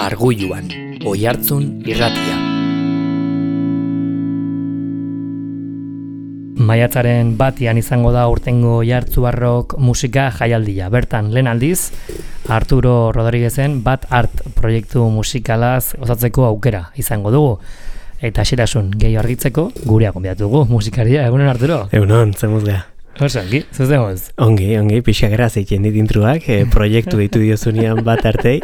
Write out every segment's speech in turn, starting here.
Arguluan, Oihartzun irratia. Maiatzaren 1 izango da urtengo Oihartzuarrok musika jaialdia. Bertan, lehen aldiz, Arturo Rodriguezen Bat Art proiektu musikalaz osatzeko aukera izango dugu. Eta xerasun gehi argitzeko gurea gonbidatu dugu musikaria. Egunon, Arturo? Egunon, zemuz geha. Oso, ongi, zuz demoz? Ongi, pixakera zeitzen dit intruak, proiektu ditu diozunean Bat Artei,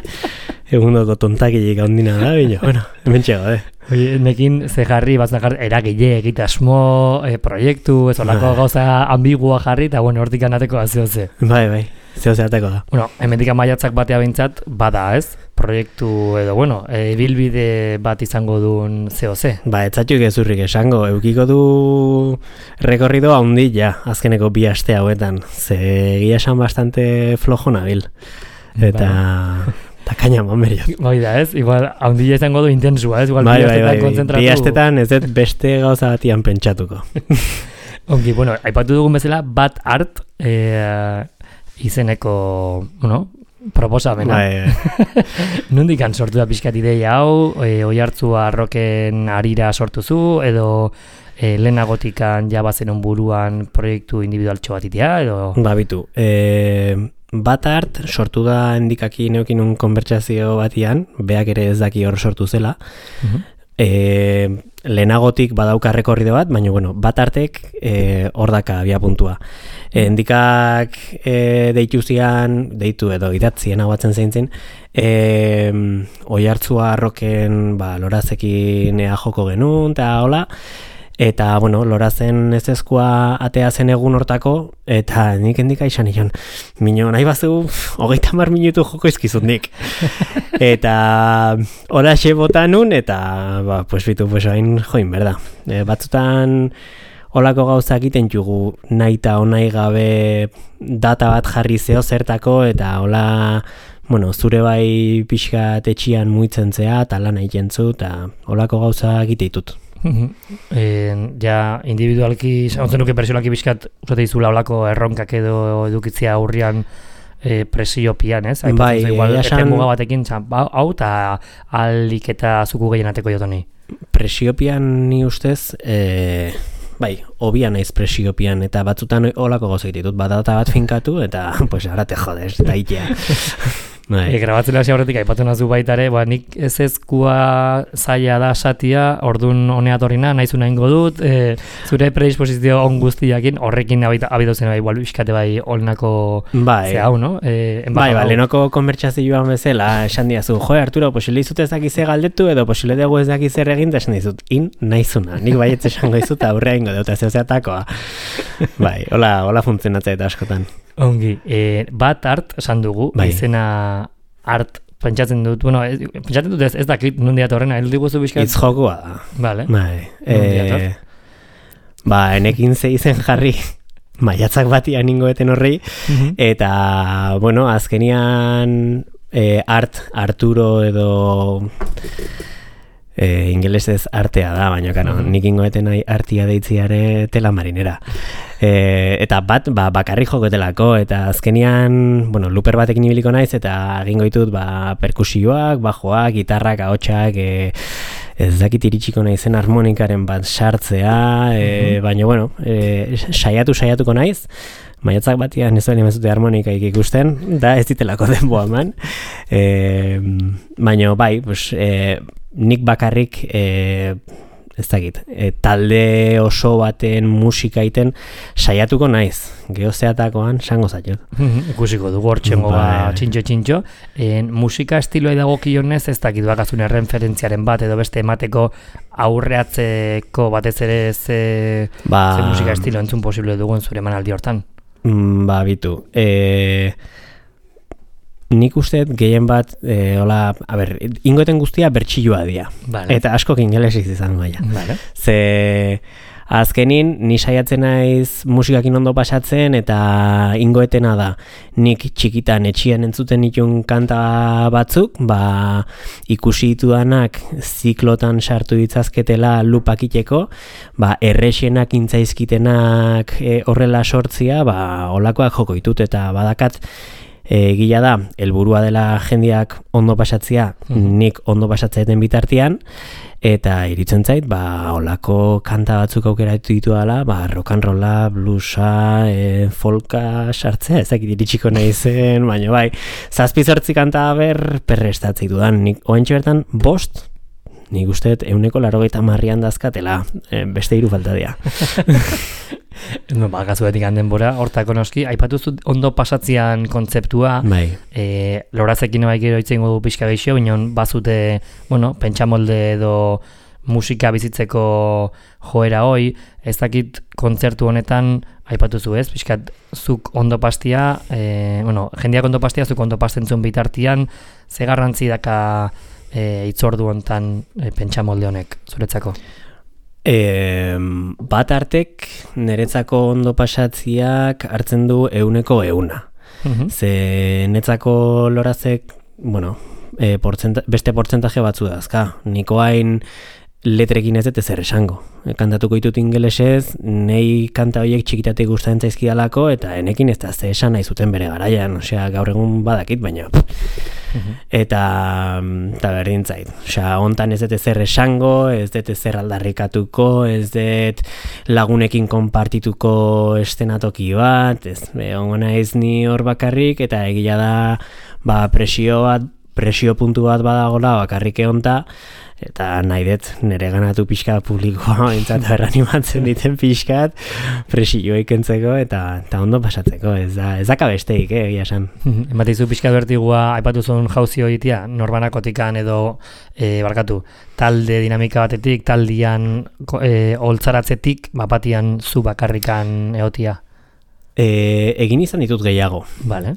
egundoko tontakilik handina da, bino, bueno, hemen txego, Oye, nekin ze jarri, batzunak eragile, egitasmo, proiektu, ez olako gauza ambigua jarri, eta bueno, hortik anateko azioze. Bai, zehose ateko da. Bueno, hemendik maiatzak batea behintzat, bada ez? Proiektu edo, bueno, ibilbide bat izango duen zehose. Ba, etzatxuk ezurrik esango, eukiko du rekorrido handi ja, azkeneko 2 aste hauetan, ze egia esan bastante flojo nabil. Eta... Eta kaina mameriot. Bai da ez, igual handia izango du intensua ez, igual bai, 2 astetan kontzentratu. 2 astetan ez dut beste gauza batian pentsatuko. Ongi, bueno, aipatu dugun bezala, Bat Art izeneko, bueno, proposamena. Bai. Nondik sortu da pixkat ideia hau, Oihartzuarroken harira sortu zu, edo lehenagotikan jabazenun buruan proiektu individualtxo bat itea, edo... Ba, bitu, Bat Art sortu da endikaki neukin un konbertsazio batian, beak ere ez daki hor sortu zela. Lehenagotik badauka rekorrido bat, baina bueno, Bat Artek hor daka abiapuntua. Endikak deitu edo idatzien hau batzen zeintzen, Oihartzuarroken lorazekin ea joko genuen, eta hola, eta, bueno, lorazen ezezkoa atea zen egun hortako, eta nik endika izan nion, mino, nahi bazu, 30 minutu joko izkizut nik. Eta horaxe bota nun, eta, pues hain join, berda. Batzutan holako gauzak egiten jugu nahi eta onai gabe data bat jarri zeo zertako, eta hola, bueno, zure bai pixkat etxian muitzen zea, eta lan egiten zu, eta holako gauzak egiteitut. Ja individualki, ontzen nuke pertsiolaki bizkat usate izula olako erronkak edo edukitzia aurrian presiopian, ez? Bai, esan... muga batekin, hau eta alik eta zuku gehienateko jotoni. Presiopian ni ustez, bai, obian naiz presiopian, eta batzutan olako gauza ditut, data bat finkatu, eta pues ara te jodes, eta itea. Grabatzen hasi aurretik aipatu nazu baitare, nik ezezkoa zaila da satia, ordun honeatorrina, naizuna ingo dut, zure predisposizio on guztiakin, horrekin abidu zen igual biskate bai olnako ze hau, no? Bai, lehenoko konbertsazioan bezala, esan diazu, Arturo, posile izut ez dakize galdetu, edo posile dugu ez dakize egin, esan dizut, naizuna, nik baietz esango izut, aurrea ingo dut, ez zeatakoa. Bai, hola funtzionatzea eta askotan. Ongi, Bat Art esan dugu, izena art pentsatzen dut, bueno, pentsatzen dut ez dakit nondia torrena, diguzu bizkat? Itz jokua da. Vale. Enekin ze izen jarri, maiatzak batian ingoeten horri, eta, bueno, azkenian Arturo edo... ingelesez artea da, baina nik ingoeten artia deitziare tela marinera. Eta bat, bakarri jokotelako, eta azkenian, bueno, looper batekin ibiliko naiz, eta egingo ditut, perkusioak, bajoak, gitarrak, ahotsak, ez dakit iritsiko naizen harmonikaren bat sartzea, baina, bueno, saiatuko naiz, maiatzak batian ez bali mazute harmonikaik ikusten, da ez ditelako denboa eman, baina, bai, nik bakarrik ez dakit, talde oso baten musika iten saiatuko naiz, geozeatakoan sango zaiot. Ikusiko dugu hortxengo txintxo. Musika estiloa dagokionez ez dakit bakazun erreferentziaren bat edo beste emateko aurreatzeko batez ere ze musika estilo entzun posible dugun zure emanaldi hortan. Bitu. Nik usteet gehien bat, ingoeten guztia bertxilloa dira. Vale. Eta askok ingelesiz izango gaia. Vale. Ze azkenin, ni saiatzen naiz musikakin ondo pasatzen, eta ingoetena da, nik txikitan etxian entzuten ditun kanta batzuk, ikusi ditudanak ziklotan sartu ditzazketela lupakiteko, errexenak intzaizkitenak horrela sortzia, olakoak joko ditut, eta badakat Gila da, helburua dela jendeak ondo pasatzea, nik ondo pasatzaeten bitartean, eta iritzen zait, olako kanta batzuk aukeratu ditu dela, rock and rolla, bluesa, folka sartzea, ezakit iritsiko nahi zen, baina bai, 7-8 kanta perrestatzei dudan, nik oentxe bertan 5, nik usteet 190 dazkatela, beste 3 falta dira. Gazuetik denbora, hortako noski, aipatuzu ondo pasatzean kontzeptua, lorazekin bai gero itzen godu pixka gehiago, inon bazute, pentsamolde edo musika bizitzeko joera hoi, ez dakit kontzertu honetan aipatuzu ez, pixkat zuk ondo pastia, jendeak ondo pastia, zuk ondo pastentzun bitartian, ze garrantzi daka itzordu hontan pentsamolde honek, zuretzako? Bat artek niretzako ondo pasatziak hartzen du 100%. Ze netzako lorazek, beste portzentaje batzu dazka. Niko hain letrekin ez dut ezer esango. Kantatuko ditut ingelesez, nei kanta horiek txikitatik gustatzen zaizkidalako, eta enekin ez da ze esan nahi zuten bere garaian, gaur egun badakit, baina eta berdin zait. Hontan ez dut ezer esango, ez dut ezer aldarrikatuko, ez dut lagunekin konpartituko estenatoki bat, ongo naiz ni hor bakarrik, eta egia da presio puntu bat badagola bakarrik honta, eta nahi dut nire ganatu pixka publikoa entzat berranimatzen diten pixkat presioa ikentzeko eta ondo pasatzeko, ez daka besteik, egia esan. Ematizu pixka bertigua, aipatu zuen jauzio egitea, norbanakotikan edo, talde dinamika batetik, taldian holtzaratzetik, bapatian zu bakarrikan egotia? Egin izan ditut gehiago. Vale.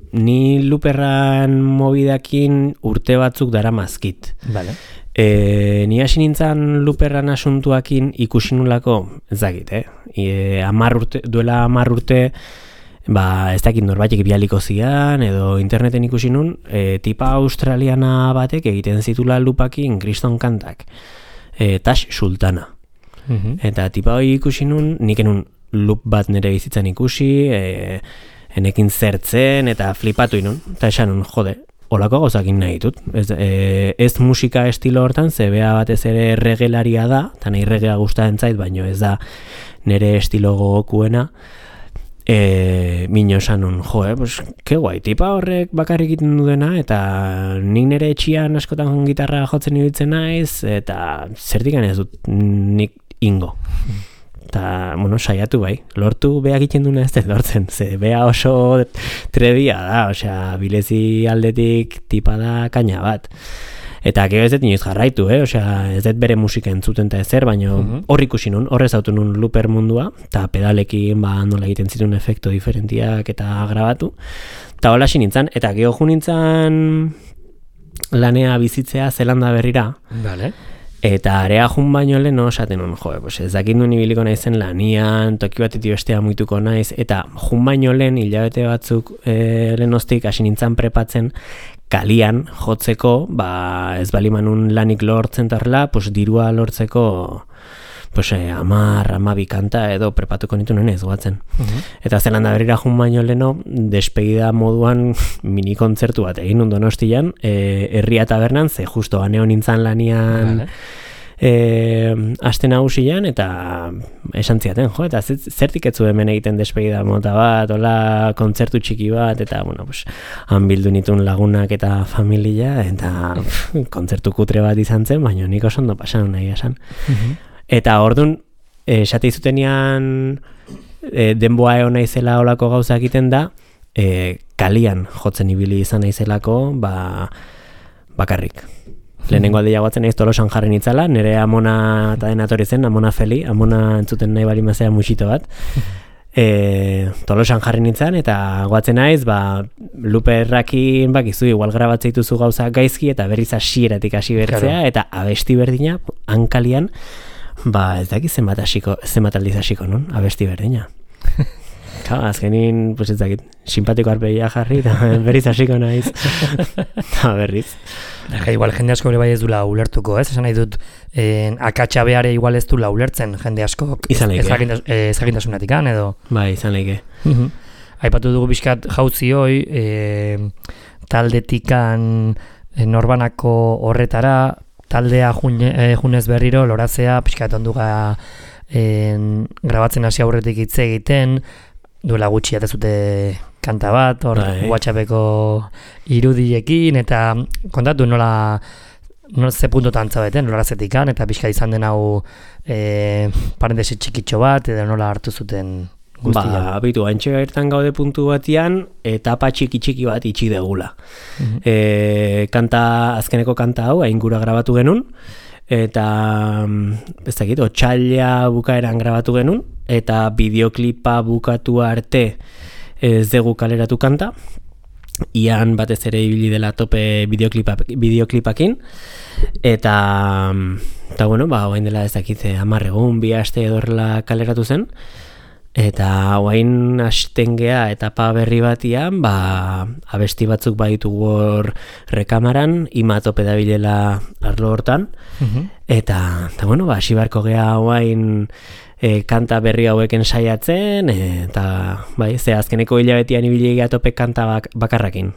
Ni luperran mobidakin urte batzuk dara mazkit. Vale. Ni hasi nintzen luperran asuntuakin ikusi nulako, ez dakit, duela 10 urte, ez dakit norbaitek bialiko zian, edo interneten ikusi nun, tipa australiana batek egiten zitula lupakin kriston kantak. Tash Sultana. Eta tipa hori ikusi nun, nik enun lup bat nire bizitzan ikusi, enekin zertzen eta flipatu inun, eta esan nun, holako gauzakin nahi ditut. Ez musika estilo hortan, zebea batez ere regelaria da, eta nahi regea gustatzen zait, baino ez da nire estilo gogokuena. Mino esan nun, ke guai, tipa horrek bakarrik egiten dudena, eta nik nire etxian askotan gitarra jotzen ibiltzen naiz, eta zertikan ez dut nik ingo. Eta, saiatu bai, lortu beha egiten duna ez lortzen, ze beha oso trebia da, bilezi aldetik tipa da kaina bat. Eta gero ez dut inoiz jarraitu, ez dut bere musika entzuten eta ezer, baina hor ikusi nun, horrez autu nun luper mundua, eta pedalekin nola egiten zituen efekto diferentiak eta grabatu. Eta hola hasi nintzen, eta gero ju nintzen lanea bizitzea Zelanda berrira. Vale. Eta area jun baino lehen esaten nun, ez dakit nuen ibiliko naizen lanian, toki batetik bestea muituko naiz, eta jun baino lehen, hilabete batzuk lehenostik hasi nintzen prepatzen, kalian jotzeko, ez balimanun lanik lortzen tarla, dirua lortzeko 10-12 kanta edo prepatuko nitu ez guatzen. Eta Zelanda berrira jun baino leheno, despegida moduan mini kontzertu bat egin nun Donostian, herria tabernan, ze justo aneo nintzen lanian aste nagusian, eta esan ziaten, eta zertik etzu hemen egiten despegida mota bat, hola kontzertu txiki bat, eta han bildu nituen lagunak eta familia, eta kontzertu kutre bat izan zen, baina nik oso ondo pasan nahi esan. Eta orduan, esate izutenean denboa egon naizela olako gauza egiten da, kalian jotzen ibili izan naizelako, bakarrik. Lehenengo aldeia guatzen naiz Tolosan jarri nitzala, nire amona eta denatori zen, amona Feli, amona entzuten nahi bali mazera musito bat. Tolosan jarri nintzen, eta guatzen naiz, luperrakin bakizu, igual grabatzeituzu gauza gaizki, eta berriz hasieratik hasi bertzea, eta abesti berdina, hankalian, ez dakit zenbat aldiz hasiko, non? Abesti berdina. Azkenin, ez dakit, simpatiko arpegia jarri, eta berriz hasiko naiz. Eta berriz. Igual jende asko bai ez dula ulertuko, ez? Esan nahi dut, akatsa behare igual ez dula ulertzen jende asko ezagintasunatik edo? Bai, izan leike. aipatu dugu pixkat jauzi hoi, taldetikan norbanako horretara, taldea junez berriro, lorazea, pixkat onduga grabatzen hasi aurretik hitz egiten, duela gutxi atezute kanta bat, hor WhatsAppeko irudiekin, eta kontatu nola ze puntotan zaudeten, lorazetikan, eta pixka izan den hau parentesi txikitxo bat, edo nola hartu zuten guztia. Abitu, antxe gairtan gaude puntu batian, etapa txiki bat itxi degula. Azkeneko kanta hau, aingura grabatu genuen, eta ez dakit, otxaila bukaeran grabatu genuen, eta bideoklipa bukatu arte ez dugu kaleratu kanta, ian batez ere ibili dela tope bideoklipakin, eta bueno, orain dela ez dakit 10 egun, 2 aste edorla kaleratu zen, eta orain hasten gea etapa berri batian, abesti batzuk baditugu hor rekamaran, ima tope dabilela arlo hortan, eta bueno, hasi beharko gea orain kanta berri haueken saiatzen, eta ze azkeneko hilabetian ibili gea tope kanta bakarrakin.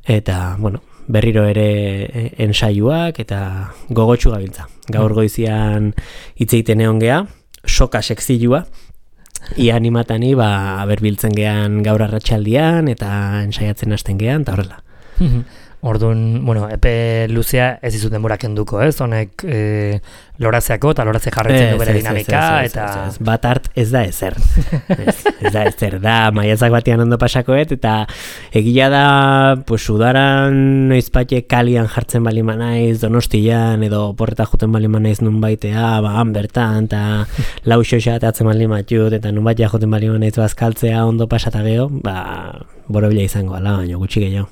Eta, bueno, berriro ere ensaiuak eta gogotsu gabiltza. Gaur goizian hitzeiten egon gea, soka sekzilua, ia animatani berbiltzen gean gaur arratsaldian eta ensaiatzen hasten gean, eta horrela. Orduan, bueno, epe luzea ez izut denbora kenduko, ez? Honek lorazeako eta lorazea jarretzen du bere dinamika, eta... Bat art ez da ezer. Ez da ezer, da maiatzak batean ondo pasakoet, eta egia da, pues, udaran noizpate kalian jartzen balima naiz, Donostian, edo porreta juten balima naiz nun baitea, han bertan, eta lau xoxa atzen balima matut, eta nun baitea juten balima naiz bazkaltzea ondo pasata geho, borobila izango, ala, baina gutxi gehiago.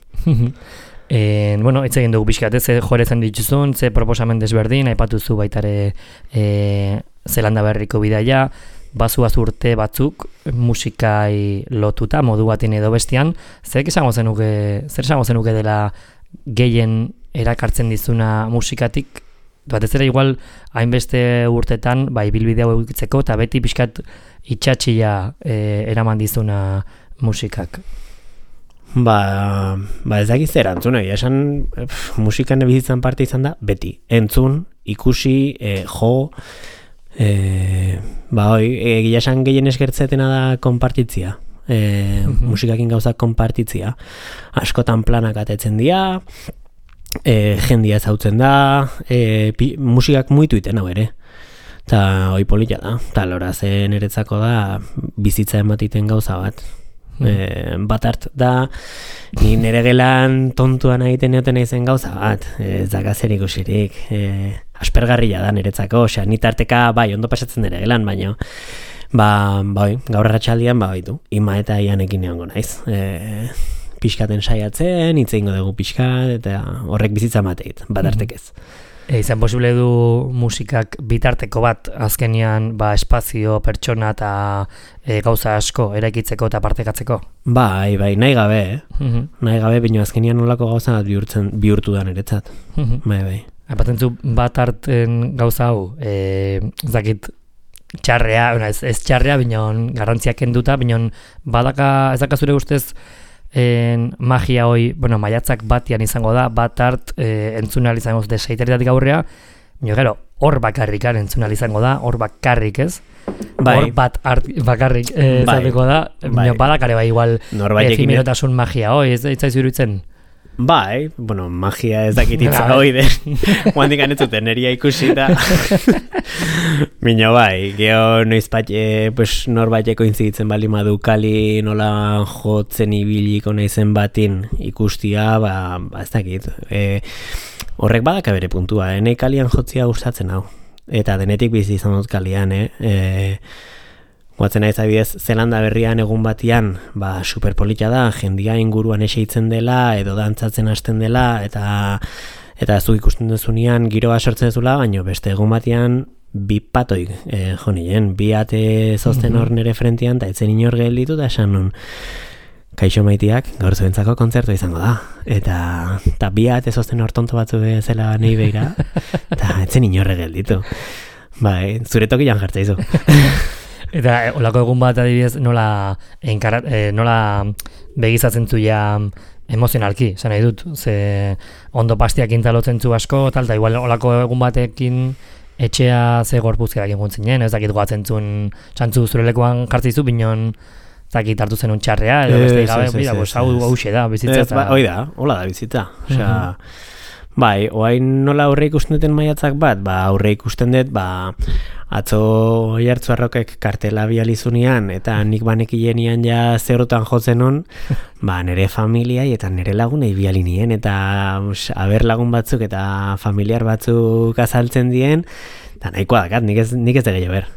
Bueno, hitz egin dugu pixkat, ze jorezen dituzun, ze proposamen desberdin, aipatuzu baitare Zelanda berriko bidaia, bazuaz urte batzuk musikai lotuta, modu batin edo bestian, zer esango zenuke dela gehien erakartzen dizuna musikatik, batez ere igual hainbeste urtetan, ibilbide hau egitzeko, eta beti pixkat itxatxia eraman dizuna musikak. Ez dakiz zer antzun, esan musikan bizitzan parte izan da, beti, entzun, ikusi, jo, egia esan gehien eskertzetena da konpartitzia, musikakin gauzak konpartitzia, askotan planak atetzen dira, jendia zautzen da, musikak muitu iten hau ere, eta hoi polita da, eta lorazen eretzako da bizitza ematiten gauza bat. Bat hart da ni nere gelan tontuan egiten neoten aizen gauza bat, ez da gazer ikusirik, aspergarria da niretzako, osea, ni tarteka ondo pasatzen nere gelan, baina gaur arratsaldian ima eta ianekin egongo naiz, pixkaten saiatzen, hitz egingo dugu pixkat, eta horrek bizitza mateit, bat hartek ez. Izan posible du musikak bitarteko bat azkenian espazio, pertsona eta gauza asko eraikitzeko eta partekatzeko? Nahi gabe, nahi gabe, bino azkenian nolako gauza bat bihurtu da niretzat. Aipatzen zu bat harten gauza hau, zakit txarrea, ez txarrea, bino garrantziak kenduta, bino ez daka zure ustez magia hoi, maiatzak batian izango da, bat hart entzunal izango zute seiteritatik aurrea, gero, hor bakarrikan entzunal izango da, hor bakarrik ez? Hor bat hart bakarrik izateko da, badakare igual efimirotasun magia hoi, ez zaizu iruditzen? Magia ez dakititza hoi den, guandik anetzuten eria ikusi da. Mino geho noizpat norbaiteko inzitzen bali madu kali nola jotzen ibiliko naizen batin ikustia, ez dakit. Horrek badaka bere puntua, nahi kalian jotzia gustatzen hau. Eta denetik bizi izan dut kalian, guatzen naiz adibidez, Zelanda berrian egun batian, superpolita da, jendia inguruan eseitzen dela, edo dantzatzen hasten dela, eta zu ikusten duzunean giroa sortzen duzula, baina beste egun batian bi patoik jonien, bi ate zozten hor nere frentian, eta etzen inor gelditu, da esan nun, kaixo maitiak, gaur zuentzako kontzertu izango da, eta bi ate zozten hor tonto batzu zela nahi beira, eta etzen inorre gelditu. Zure tokian jartzaizu. Eta olako egun bat adibidez nola begizatzen zuia emozionalki, esan nahi dut, ze ondo pastiak intalotzen zu asko, tal, eta igual olako egun batekin etxea ze gorpuzkerak inguntzinen, ez dakit goatzen zuen txantzu zure lekuan jartzizu, binon zakit hartu zen un txarrea, edo beste gabe, hau da, bizitza. Hoi da, hola da bizitza. Osea, bai, oain nola aurre ikusten duten maiatzak bat, aurre ikusten dut, atzo Oiartzuarrokek kartela bializunean, eta nik banekilenian ja zerotan jotzen hon, nire familiai eta nire lagunei bialinien, eta aber lagun batzuk eta familiar batzuk azaltzen dien, eta nahikoa dakat, nik ez da gehiago ber.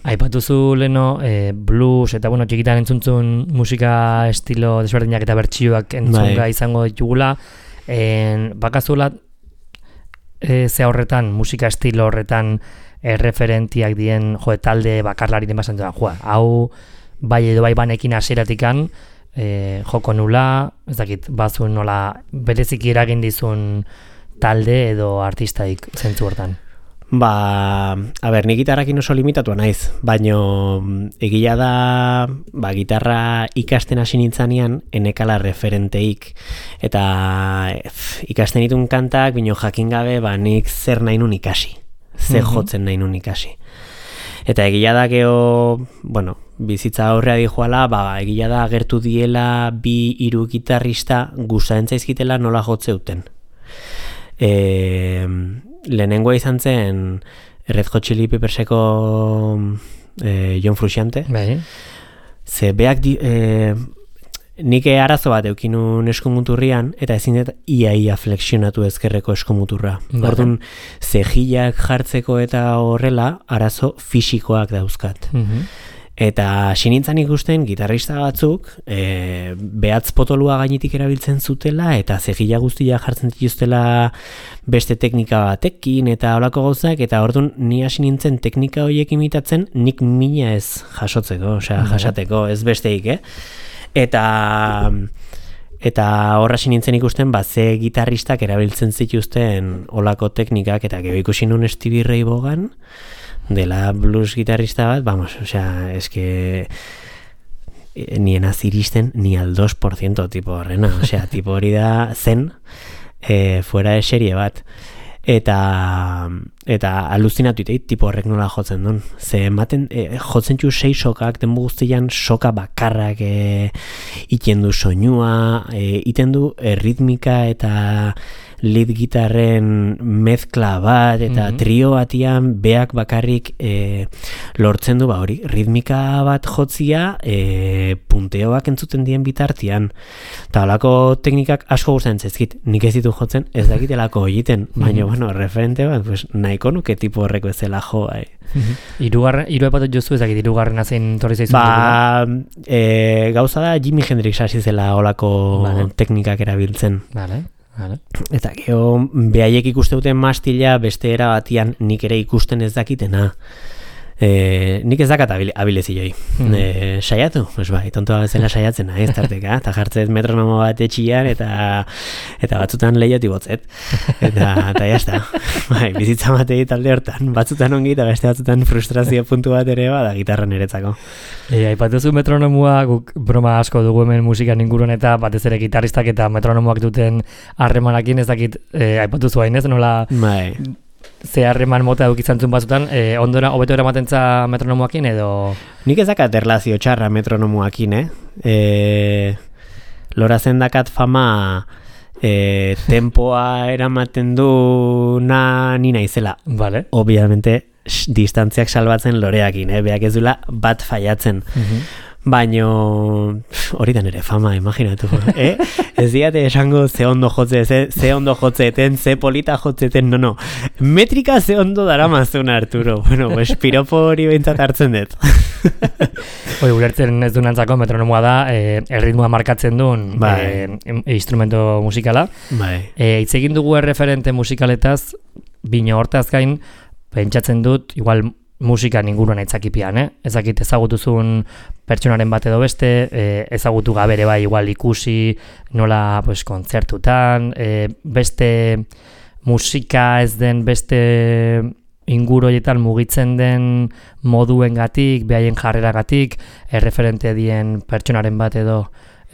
Aipatuzu leno blues eta txikitan entzuntzun musika estilo desberdinak eta bertsioak entzunga izango ditugula, bakazula ze horretan, musika estilo horretan referentiak dien talde bakarlari den basan hau bai edo bai banekin aseratikan joko nula, ez dakit, bazun nola bereziki eragin dizun talde edo artistaik zentzu hortan. Nik gitarrakin oso limitatua naiz, baino egia da, gitarra ikasten hasi nintzanean enekala referenteik, eta ikasten ditun kantak, bino jakin gabe, nik zer nahi nun ikasi, zer jotzen nahi nun ikasi. Eta egia da geho, bizitza aurrea dijoala, egia da agertu diela 2-3 gitarrista gustatzen zaizkitela nola jotze duten. Lehenengoa izan zen Red Hot Chili Pepperseko John Frusciante. Ze beak nik arazo bat eukinun eskumuturrian, eta ezin dut ia flexionatu ezkerreko eskumuturra. Orduan, zejillak jartzeko eta horrela arazo fisikoak dauzkat. Eta sinintzan ikusten gitarrista batzuk behatz potolua gainetik erabiltzen zutela eta zejilla guztia jartzen dituztela beste teknika batekin eta holako gauzak, eta orduan ni hasi nintzen teknika horiek imitatzen nik mina ez jasotzeko, jasateko, ez besteik, Eta horra hasi nintzen ikusten ze gitarristak erabiltzen zituzten olako teknikak, eta gero ikusi nun Stevie Ray Vaughan dela blues gitarrista bat, eske nien aziristen ni al 2% tipo horrena, tipo hori da zen fuera de serie bat, eta aluzinatu iteit tipo horrek nola jotzen duen, ze ematen jotzen txu 6 sokak denbu guztian soka bakarrak iten du soinua, iten du ritmika eta lead gitarren mezkla bat eta trio batian beak bakarrik lortzen du hori, ritmika bat jotzia punteoak entzuten dien bitartian, eta holako teknikak asko gustatzen zaizkit, nik ez ditu jotzen, ez dakitelako egiten, baina referente bat, nahiko nuke tipo horreko ezela jo, Hiru epatot jozu ezakit, hirugarren zein torri zaizun gauza da Jimi Hendrix hasi zela holako teknikak erabiltzen. Eta geho, behaiek ikuste duten mastila beste era batian nik ere ikusten ez dakitena. Nik ez dakat abilezioi. Saiatu? Tontoa bezala saiatzen, ez tarteka, eta jartzet metronomo bat etxian, eta batzutan lehioti botzet. Eta jazta, bizitza matei talde hortan, batzutan ongi eta beste batzutan frustrazio puntu bat ere bada gitarra niretzako. Aipatuzu metronomua, guk broma asko dugu hemen musikan inguruan, eta batez ere gitarristak eta metronomoak duten harremanakin, ez dakit aipatuzu hainez, nola ze harreman mota edukitzantzun batzutan, ondora hobeto eramatentza metronomoakin edo? Nik ez dakat erlazio txarra metronomoakin, Lora zendakat fama tempoa eramaten du ni naizela. Obviamente, distantziak salbatzen loreakin, beak ez dula bat faiatzen. Baino hori da nire fama, imaginatu. Ez diate esango ze ondo jotzeten, ze polita jotzeten, no. Metrika ze ondo daramazun, Arturo. Piropo hori behintzat hartzen dut. Ulertzen ez dunantzako metronomoa da, erritmoa markatzen duen instrumento musikala. Hitz egin dugu erreferente musikaletaz, bino hortaz gain, pentsatzen dut, igual musikan inguruan aitzakipian, ezakit ezagutuzun pertsonaren bat edo beste, ezagutu gabere bai igual ikusi nola kontzertutan, beste musika ez den beste inguru horietan mugitzen den moduengatik, behaien jarreragatik, erreferente dien pertsonaren bat edo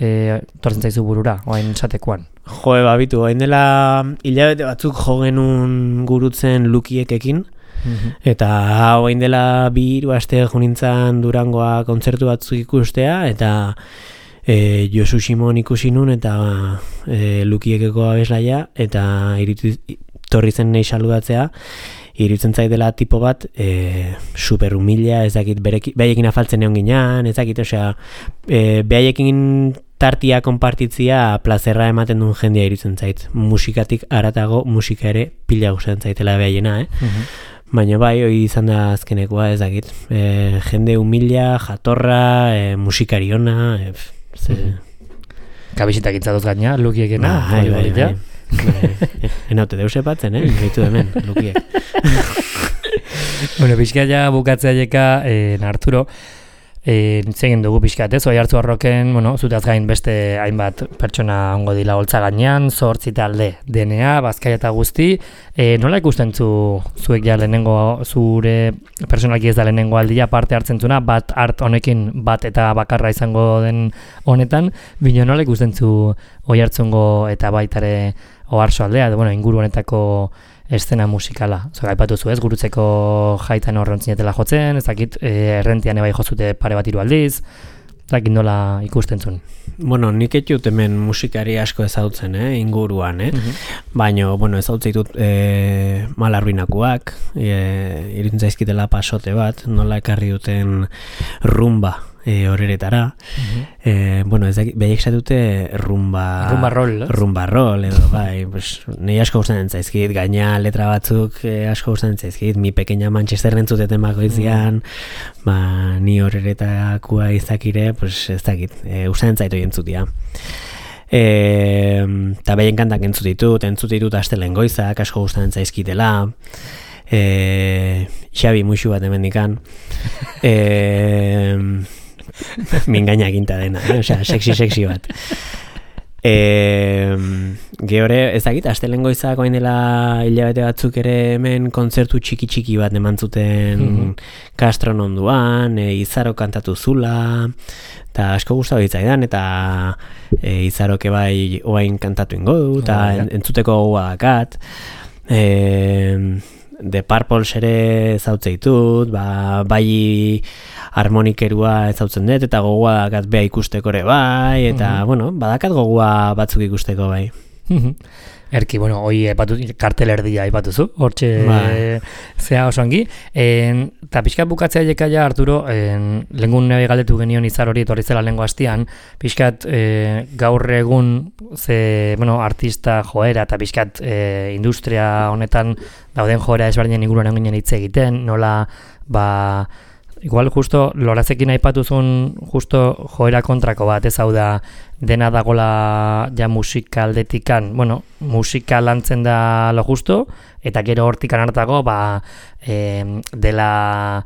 tortzen zaizu burura, oain esatekoan. Jo, babitu, oain dela hilabete batzuk jo genuen gurutzen Lukiekekin, eta oain dela 2 aste junintzan Durangoa kontzertu batzuk ikustea, eta Josu Simon ikusi nun, eta Lukiekeko abeslaia, eta torri zen nahi saludatzea, iruditzen zaidela tipo bat super humila, ez dakit, behaiekin afaltzen egon ginean, ez dakit, osea, behaiekin tartia konpartitzia plazerra ematen duen jendea iruditzen zait. Musikatik aratago musika ere pila gustatzen zaitela behaiena, Baina bai, hori izan da azkenekoa, ez dakit. Jende humila, jatorra, musikari ona, Kabisitak itzatoz gaina, Lukiekena, bai. Enaute deuse batzen, gaitu hemen, Lukiek. Bueno, pixka ja bukatzea jeka, Arturo, zegin dugu pixkat, ez? Oihartzu Arroken, bueno, zuteaz gain beste hainbat pertsona ongo dila holtza gainean, 8 talde DNA, Bazkaia eta guzti. Nola ikusten zuek ja lehenengo, zure personalki ez da lehenengo aldia parte hartzen zuna, bat art honekin bat eta bakarra izango den honetan, bino nola ikusten zu Oihartzungo eta baitare Oarso aldea, edo bueno, inguru honetako eszena musikala. Aipatu zu ez, gurutzeko jaitan horrentzinetela jotzen, ez dakit errentian ebai jozute pare bat 3 aldiz, ez dakit nola ikusten zuen. Bueno, nik etxut hemen musikari asko ezautzen, inguruan, Baina, bueno, ezautzen ditut Malarruinakoak, iruditzen zaizkitela pasote bat, nola ekarri duten rumba horeretara. Bueno, ez dakit, behiek zatute rumba roll, edo, bai, pues, nahi asko gustatzen zaizkit, gaina letra batzuk asko gustatzen zaizkit, mi pequeña Manchester entzuteten bakoitzian, ni horeretakua izakire, pues, ez dakit, gustatzen zaitu entzutia. Eta behien kantak entzutitut astelen goizak, asko gustatzen zaizkitela, Xabi muixu bat hemendikan, mingaina ginta dena, osea, sexy bat. Gehore, ez dakit, astelen goizak oain dela hilabete batzuk ere hemen kontzertu txiki bat emantzuten Kastron onduan, Izaro kantatu zula, eta asko gustatu ditzaidan, eta Izaroke bai oain kantatu ingo du, eta entzuteko gogoa dakat. The Purples ere zautze ditut, bai harmonikerua ezautzen dut, eta gogoa dakat beha ikusteko ere bai, eta, bueno, badakat gogoa batzuk ikusteko bai. Erki, bueno, hoi kartel erdia aipatuzu, hortxe zea oso ongi. Eta pixkat bukatzea jeka ja, Arturo, lehengun nebe galdetu genion Izar hori etorri zela lehengo hastian, pixkat gaur egun artista joera eta pixkat industria honetan dauden joera ezberdinen inguruan eginen hitz egiten, nola, igual justo Lorazekin aipatuzun justo joera kontrako bat, ez hau da dena dagola ja musika aldetikan, bueno, musika lantzen da lo justo, eta gero hortikan hartago, dela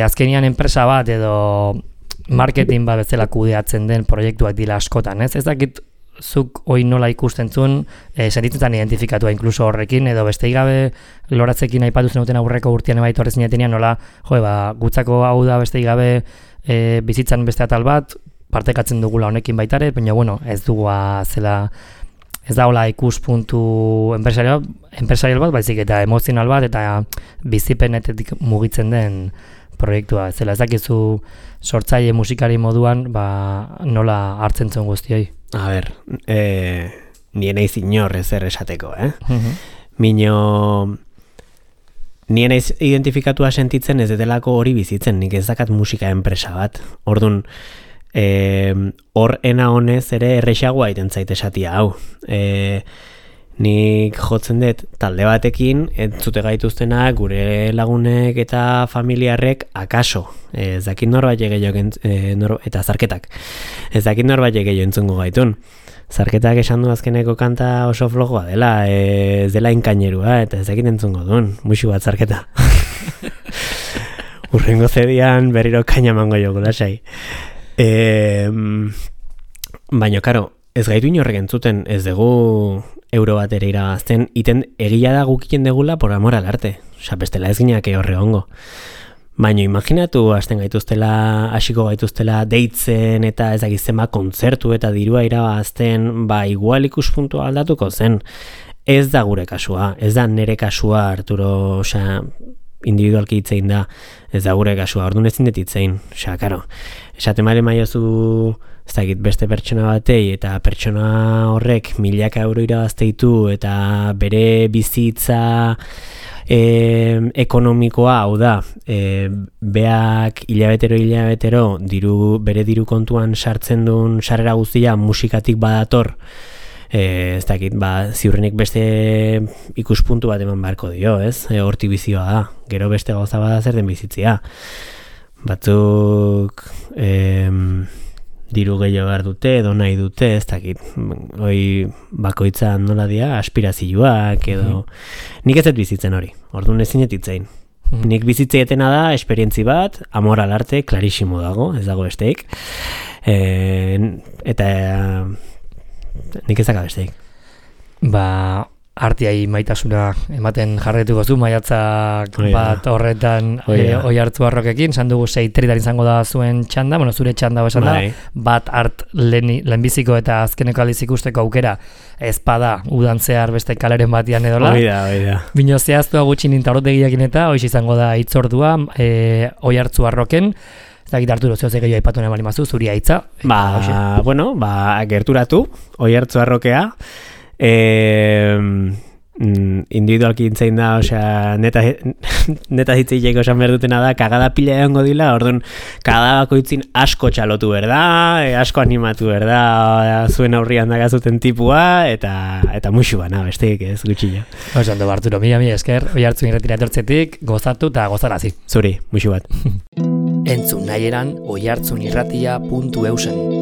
azkenian enpresa bat edo marketing bat bezala kudeatzen den proiektuak dira askotan, ez? Ez dakit zuk hoi nola ikusten zuen, sentitzen zan identifikatua inkluso horrekin, edo beste gabe Loratzekin aipatu zenuten aurreko urtean ebait horrezin jatenean, nola, gutzako hau da beste gabe bizitzan beste atal bat, partekatzen dugula honekin baitare, baina bueno, ez dugua zela, ez da hola ikuspuntu enpresarial bat, baizik eta emozional bat, eta bizipenetetik mugitzen den proiektua. Zela ez dakizu sortzaile musikari moduan, nola hartzen zuen guztioi? A ber, nien eiz inor ezer esateko, Mino, nien eiz identifikatua sentitzen ez delako hori bizitzen, nik ez dakat musika enpresa bat. Orduan, hor ena honez ere errexagoa iten zait esatia hau. Nik jotzen dut talde batekin, entzute gaituztenak gure lagunek eta familiarrek akaso. Ez dakit norbait gehiago eta zarketak. Ez dakit norbait gehiago entzungo gaitun. Zarketak esan du azkeneko kanta oso flojoa dela, ez dela inkainerua, eta ez dakit entzungo duen, muixu bat zarketa. Urrengo zedian berriro kaina mango joko lasai. Baina, karo, ez gaitu inorrek entzuten, ez dugu euro bat ere irabazten, iten egia da gukiten degula por amor al arte. bestela ez gineak horre ongo. Baina imaginatu hasiko gaituztela deitzen eta ez dakizema kontzertu eta dirua irabazten, igual ikuspuntua aldatuko zen. Ez da gure kasua, ez da nere kasua, Arturo, individualki hitzein da, ez da gure kasua, orduan ezin dut hitzein, karo. Esaten mare maiozu, ez dakit beste pertsona batei, eta pertsona horrek milaka euro irabazteitu, eta bere bizitza ekonomikoa, hau da, beak hilabetero, bere diru kontuan sartzen duen sarrera guztia musikatik badator, ez dakit, ziurrenik beste ikuspuntu bat eman beharko dio, ez? Hortik bizioa da, gero beste gauza bada zer den bizitzia. Batzuk diru gehiago behar dute, edo nahi dute, ez dakit, bakoitzan nola dira, aspirazioak, edo... Nik ez dut bizitzen hori, orduan ezin etitzein. Nik bizitzeetena da, esperientzi bat, amor al arte, klarisimo dago, ez dago besteik. Eta... nik ezak abesteik. Artiai maitasuna ematen jarretuko zu, maiatzak bat horretan Oiartzuarrokekin, esan dugu 6:30 izango da zuen txanda, zure txanda esan da, bat art lehenbiziko eta azkeneko aldiz ikusteko aukera ezpada udan zehar beste kaleren batian edola. Oida. Bino zehaztua gutxi nintarotegiakin eta hoiz izango da hitzordua Oiartzuarroken. Ez dakit Arturo, zehozek gehiago aipatu nahi balimazu, zuri haitza. Gerturatu, Oiartzuarrokea, individualki intzein da, neta hitzeileko esan behar dutena da, kagada pila egongo dila, orduan, kagada bakoitzin asko txalotu berda, asko animatu berda, zuen aurrian dagazuten tipua, eta musu bana, besteik ez, gutxillo. Ondo, Arturo, mila esker, Oiartzun irretira etortzetik, gozatu eta gozarazi. Zuri, musu bat. Entzun nahieran oiartzunirratia.eusen